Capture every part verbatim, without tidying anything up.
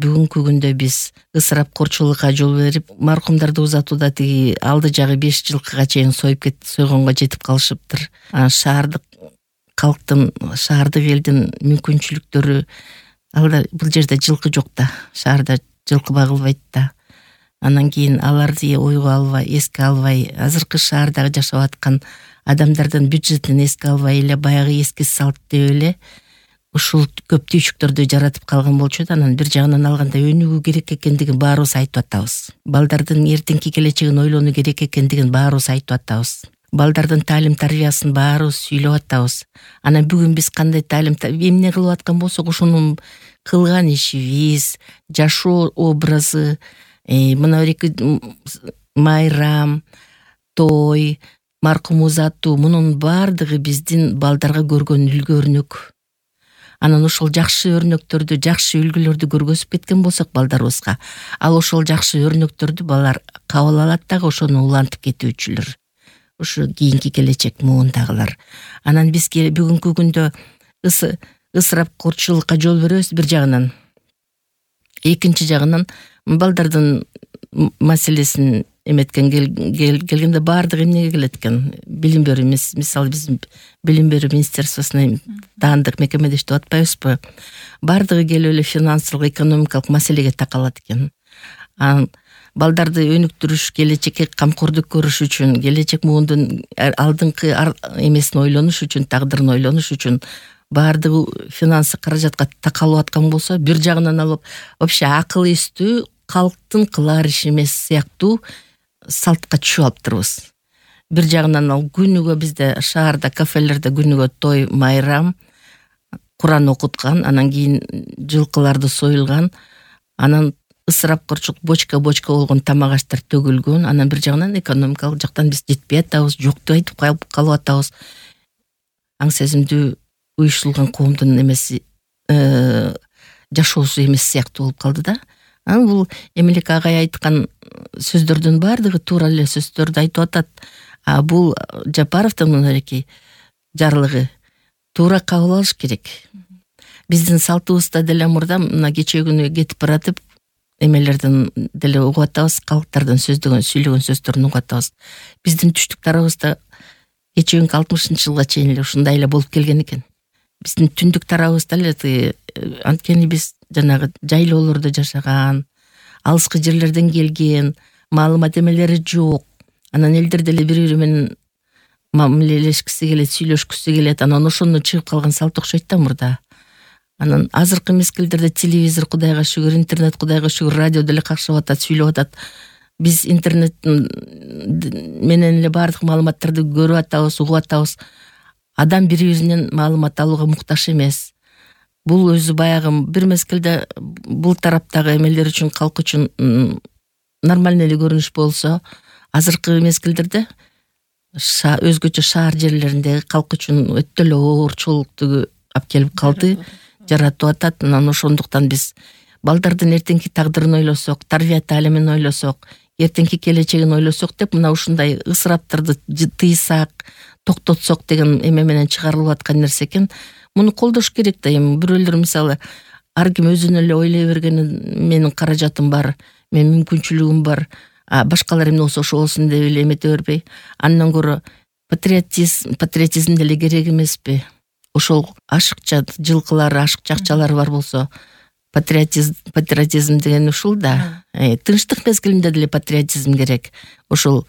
бүгүнкү күндө биз ысырапкорчулукка жол берип, маркумдарды узатууда тиги алды жагы беш жылкыга чейин союп кетип, сойгонго жетип калышыптыр. Анан шаардык калктын, шаардык элдин мүмкүнчүлүктөрү, алда бул жерде жылкы жок да, шаарда жылкы багылбайт да. Анан кийин аларды ойго албай, эске албай, азыркы шаардагы жашап аткан адамдардын бюджетин эске албай эле, баягы эски салт деп эле ушул көп түйшүктөрдү жаратып калган болчу да. Анан бир жагынан алганда өнүгүү керек экендигин баарыбыз айтып атабыз. Балдардын эртеңки келечегин ойлонуу керек экендигин баарыбыз айтып атабыз. Балдардын таалим тарбиясын баарыбыз сүйлөп атабыз. Анан бүгүн биз кандай таалим эмне кылып аткан болсок, ошонун кылган ишибиз, жашоо образы, мына эки майрам, той, маркум узатуу, мунун баардыгы биздин балдарга көргөн үлгү өрнөк. Анан ошол жакшы өрнөктөрдү, жакшы үлгүлөрдү көргөзүп кеткен болсок балдарыбызга, ал ошол жакшы өрнөктөрдү балдар кабыл алат дагы, ошону улантып кетүүчүлөр. Ушу кийинки келечек муундагылар. Анан бизге бүгүнкү күндө ысырапкорчулукка жол беребиз бир жагынан. Экинчи жагынан балдардын маселесин эметкен келгенде баардыгы эмнеге келет экен? Билим берүү, мисалы биздин билим берүү министерствосуна таандык мекемеде иштеп атпайбызбы? Баардыгы келип эле финансылык, экономикалык маселеге такалат экен. Анан балдарды өнүктүрүш, келечекке камкордук көрүш үчүн, келечек муундун алдыңкы эмесин ойлонуш үчүн, тагдырын ойлонуш үчүн баардыгы финансы каражатка такалып аткан болсо, бир жагынан алып вообще акыл эстүү калктын кылар иши эмес сыяктуу салтка түшүп алыптырбыз. Бир жагынан ал күнүгө бизде шаарда, кафелерде күнүгө той, майрам, Куран окуткан, анан кийин жылкыларды союлган, анан ысырапкорчулук бочка-бочка болгон тамак аштар төгүлгөн. Анан бир жагынан экономикалык жактан биз жетпей атабыз, жок деп айтып калып атабыз. Аң сезимдүү уюштурулган коомдун эмеси жашоосу эмес сыяктуу болуп калды да. Анан бул Эмелек агай айткан сөздөрдүн баардыгы туура эле сөздөрдү айтып атат. А бул Жапаровдун мынакей жарлыгы туура кабыл алыш керек. Биздин салтыбызда деле мурда мына кечээ күнү кетип баратып эмелердин деле угуп атабыз, калктардын сөздөгөн, сүйлөгөн сөздөрүн угуп атабыз. Биздин түштүк тарабыбызда кечээ күнкү алтымышынчы жылга чейин эле ушундай эле болуп келген экен. Биздин түндүк тарабыбызда эле анткени биз жанагы жайлоолордо жашаган, алыскы жерлерден келген, маалымат эмелери жок. Анан элдер деле бири-бири менен мамилелешкиси келет, сүйлөшкүсү келет. Анан ошондон чыгып калган салт окшойт да мурда. Анан азыркы мезгилдерде телевизор кудайга шүгүр, интернет кудайга шүгүр, радио деле какшап атат, сүйлөп атат. Биз интернет менен эле баардык маалыматтарды көрүп атабыз, угуп атабыз. Адам бири-биринен маалымат алууга муктаж эмес. Бул өзү баягы бир мезгилде бул тараптагы эмелер үчүн, калк үчүн нормальный эле көрүнүш болсо, азыркы мезгилдерде өзгөчө шаар жерлериндеги калк үчүн өтө эле оорчулукту алып келип калды, жаратып атат. Анан ошондуктан биз балдардын эртеңки тагдырын ойлосок, тарбия таалимин ойлосок, эртеңки келечегин ойлосок деп мына ушундай ысыраптарды тыйсак, токтотсок деген эме менен чыгарылып аткан нерсе экен. Муну колдош керек да. Эми бирөөлөр мисалы ар ким өзүнө эле ойлой бергени, менин каражатым бар, менин мүмкүнчүлүгүм бар, а башкалар эмне болсо ошо болсун деп эле эмете бербей, андан көрө патриотизм, патриотизм деле керек эмеспи? Ошол ашыкча жылкылар, ашыкча акчалар бар болсо, патриотизм, патриотизм деген ушул да. Тынчтык мезгилинде деле патриотизм керек. Ошол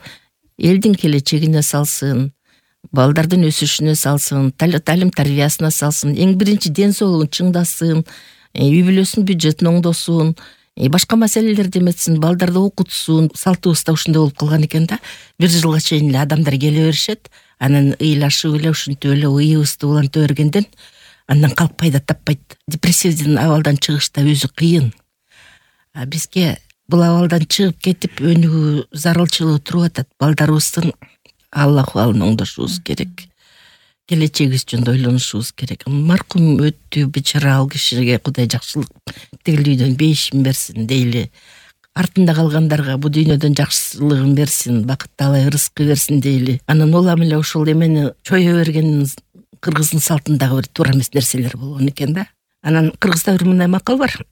элдин келечегине салсын, балдардын өсүшүнө салсын, талим тарбиясына салсын, эң биринчи ден соолугун чыңдасын, үй бүлөсүнүн бюджетин оңдосун, башка маселелерди эметсин, балдарды окутсун. Салтыбызда ушундай болуп калган экен да. Бир жылга чейин эле адамдар келе беришет, анан ыйлашып эле ушинтип эле ыйыбызды уланта бергенден андан калп пайда таппайт. Депрессивдин абалдан чыгыш да өзү кыйын. А бизге бул абалдан чыгып кетип өнүгүү зарылчылыгы туруп атат. Балдарыбыздын Алла кубалын оңдошубуз керек. Келечегибиз жөнүндө ойлонушубуз керек. Маркум өттү, бечара, ал кишиге Кудай жакшылык, тигилүүдөн бейишин берсин дейли. Артында калгандарга бу дүйнөдөн жакшылыгын берсин, бакытталай ырыскы берсин дейли. Анан улам эле ушул эмени чое берген кыргыздын салтындагы бир туура эмес нерселер болгон экен да. Анан кыргызда бир мындай макал бар.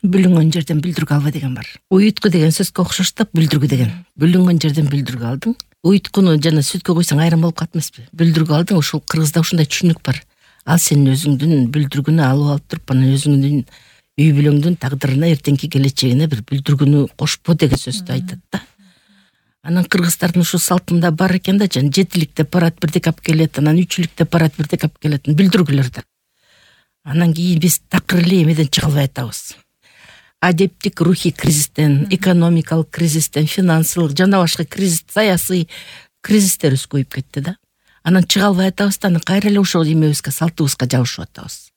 бүлүнгөн жерден бүлдүргө алба деген бар. Уютку деген сөзгө окшоштоп бүлдүргү деген. Бүлүнгөн жерден бүлдүргө алдың. Уюткуну жана сүткө койсоң айрым болуп калат эмеспи? Бүлдүргө алдың, ошол кыргызда ушундай түшүнүк бар. Ал сенин өзүңдүн бүлдүргүнү алып алып туруп, анан өзүңдүн үй бүлөңдүн тагдырына, эртеңки келечегине бир бүлдүргүнү кошпо деген сөздү айтат да. Анан кыргыздардын ушу салтында бар экен да, жана жетилик деп барат, бирдек алып келет, анан үчүлүк деп барат, бирдек алып келет, бүлдүргүлөр да. Анан кийин биз такыр эле эмеден чыга албай атабыз. Адептик рухий кризистен, экономикалык кризистен, финансылык жана башка кризис, саясий кризистерибиз көбөйүп кетти да. Анан чыга албай атабыз да, анан кайра эле ошол эмебизге, салтыбызга жабышып атабыз.